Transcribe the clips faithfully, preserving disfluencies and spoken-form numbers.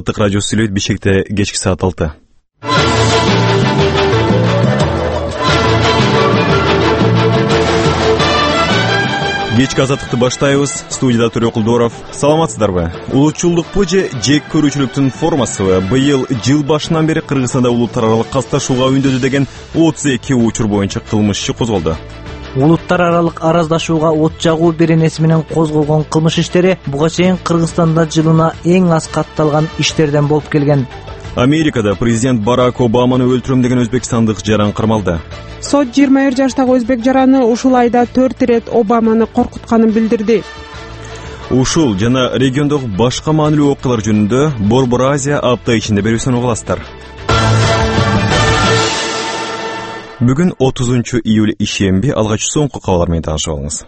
Азаттык радиосу сүйлөйт. Бишкекте кечки саат алты. Кечки азаттыкты баштайбыз. Студияда Төрө Кулдоров. Саламатсыздарбы? Улутчулдукпу же жек көрүүчүлүктүн формасыбы? Быйыл жыл башынан бери Кыргызстанда улуттар аралык катташууга үндөдү деген отуз эки учур боюнча кылмыш иши козголду. Улуттар аралык араздашууга от жагуу беренеси менен козголгон кылмыш иштери буга чейин Кыргызстанда жылына эң аз катталган иштерден болуп келген. Америкада президент Барак Обаманы өлтүрөм деген өзбекстандык жаран кармалды. Сот жыйырма бир жаштагы өзбек жараны ушул айда төрт ирет Обаманы коркутканын билдирди. Ушул жана региондогу башка маанилүү окуялар жөнүндө Борбор Азия апта ичинде берүүсүн угуласыздар. Бүгүн отузунчу июль ишемби, алгач соңку кабарлар менен таанышып алыңыз.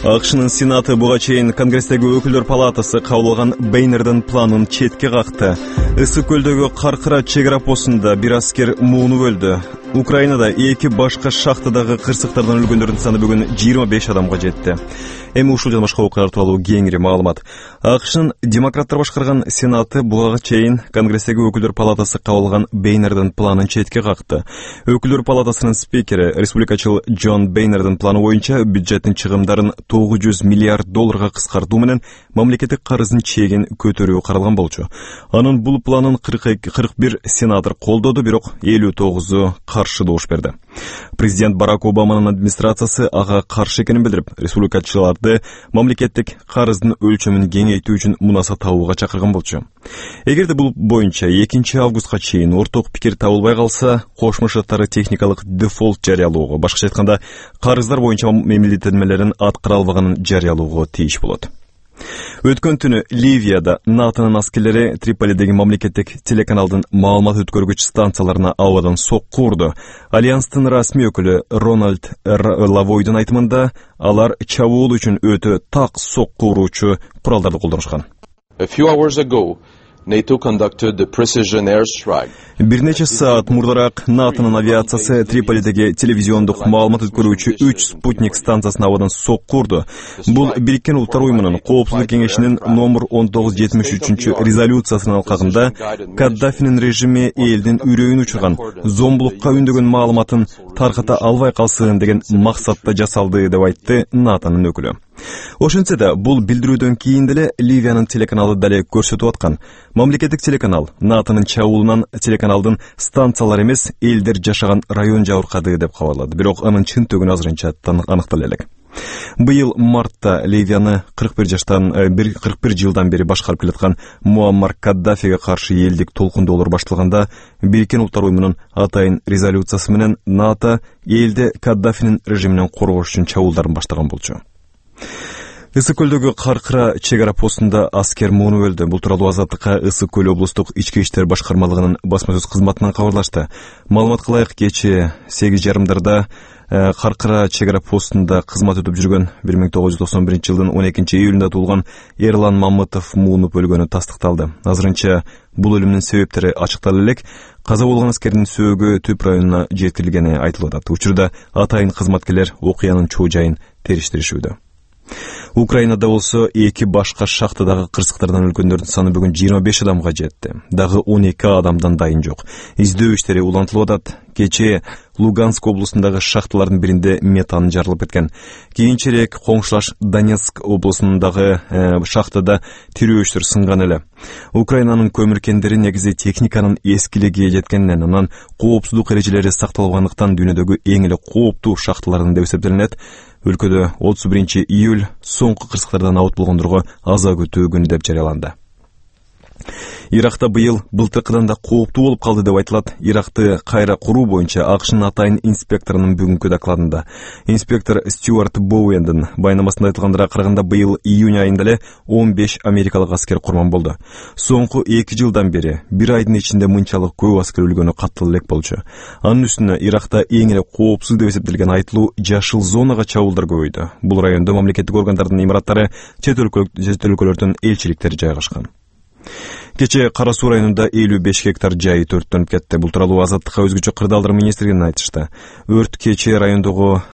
АКШнын Сенаты буга чейин Конгресстеги өкүлдөр палатасы кабыл алган Бейнердин планын четке какты. Ысык көлдөгү Каркыра чек ара постунда бир аскер мууну өлдү. Украинада эки башка шахтадагы кырсыктардан өлгөндөрдүн саны бүгүн жыйырма беш адамга жетти. Эми ушул жана башка окуялар тууралуу кеңири маалымат. АКШнын демократтар башкарган Сенаты буга чейин Конгресстеги өкүлдөр палатасы кабыл алган Бейнердин планын четке какты. Өкүлдөр палатасынын спикери, республикачыл Джон Бейнердин планы боюнча бюджеттин чыгымдарын тогуз жүз миллиард долларга кыскартуу менен мамлекеттик карыздын чегин көтөрүү каралган болчу. Анын бул планын кырк бир сенатор колдоду, бирок элүү тогузу каршы добуш берди. Президент Барак Обаманын администрациясы ага каршы экенин билдирип, республикачыларды мамлекеттик карыздын өлчөмүн кеңейтүү үчүн мунаса табууга чакырган болчу. Эгерде бул боюнча экинчи августка чейин орток пикир табылбай калса, Кошмо Шаттары техникалык дефолт жарыялоого, башкача айтканда, карыздар боюнча мамилеттенмелерин аткара албаганын жарыялоого тийиш болот. Өткөн түнү Ливияда НАТОнун аскерлери Триполидеги мамлекеттик телеканалдын маалымат өткөргүч станцияларына абадан сокку урду. Альянстын расмий өкүлү Рональд Лавойдун айтымында, алар чабуул үчүн өтө так сокку уруучу куралдарды колдонушкан. A few hours ago, NATO conducted the precision airstrike. Бир нече саат мурдараак НАТОнун авиациясы Триполидеги телевизиондук маалымат өткөрүүчү үч спутник станциясына абадан сокку урду. Бул Бириккен Улуттар уюмунун Коопсуздук кеңешинин номер он тогуз жетимиш үчүнчү резолюциясынын алкагында Каддафинин режими элдин үрөйүн учурган, зомбулукка үндөгөн маалыматын тарката албай калсын деген максатта жасалды деп айтты НАТОнун өкүлү. Ошентсе да, бул билдирүүдөн кийин деле Ливиянын телеканалы дале көрсөтүп аткан. Мамлекеттик телеканал НАТОнун чабуулунан телеканалдын станциялар эмес, элдер жашаган район жабыркады деп кабарлады. Бирок анын чынтөгүнү азырынча аныктала элек. Быйыл мартта Ливияны кырк бир жаштан кырк бир жылдан бери башкарып келаткан Муаммар Каддафиге каршы элдик толкундоолор башталганда, Бириккен Улуттар уюмунун атайын резолюциясы менен НАТО элде Каддафинин режиминен коргош үчүн чабуулдарын баштаган болчу. Ысык көлдөгү Каркыра чек ара постунда аскер мууну өлдү. Бул тууралуу Азаттыкка Ысык көл облустук ички иштер башкармалыгынын басма сөз кызматынан кабарлашты. Маалымат кылайык, кечээ сегиз жарымдарда Каркыра чек ара постунда кызмат өтүп жүргөн бир миң тогуз жүз токсон биринчи жылдын он экинчи июлунда туулган Эрлан Мамытов муунуп өлгөнү тастыкталды. Азырынча бул өлүмүнүн себептери ачыктала элек. Каза болгон аскердин сөөгү Түп районуна жеткирилгени айтылып атат. Учурда атайын кызматкерлер окуянын чоо жайын териштиришүүдө. Украинада болсо эки башка шахтадагы кырсыктардан өлгөндөрдүн саны бүгүн жыйырма беш адамга жетти. Дагы он эки адамдан дайын жок. Издөө иштери улантылып атат. Кечээ Луганск облусундагы шахталардын биринде метан жарылып кеткен. Кийинчерээк коңшулаш Донецк облусундагы э, шахтада тирөөчтөр сынган эле. Украинанын көмүр кендери негизи техниканын эскилиги жеткенинен, анан коопсуздук эрежелери сакталбагандыктан дүйнөдөгү эң эле кооптуу шахталардын деп эсептелинет. Өлкөдө отуз биринчи июль соңку кырсыктардан абут болгондорго аза күтүү күнү деп жарыяланды. Иракта быйыл былтыркыдан да кооптуу болуп калды деп айтылат. Иракты кайра куруу боюнча АКШнын атайын инспекторунун бүгүнкү докладында. Инспектор Стюарт Боуэндин байнамасында айтылгандыга караганда, быйыл июнь айында эле он беш америкалык аскер курман болду. Соңку эки жылдан бери бир айдын ичинде мынчалык көп аскер өлгөнү каттала элек болчу. Анын үстүнө Иракта эң эле коопсуз деп эсептелген айтылуу жашыл зонага чабуулдар көбөйдү. Бул райондо мамлекеттик органдардын имараттары, чет өлкөлөрдөн элчиликтер жайгашкан. Кече Кара Суу районунда элүү беш гектар жай төрттөнүп кетти. Бул тууралуу Азаттыкка өзгөчө кырдаалдар министрлигинен айтышты. Өрт кече райондогу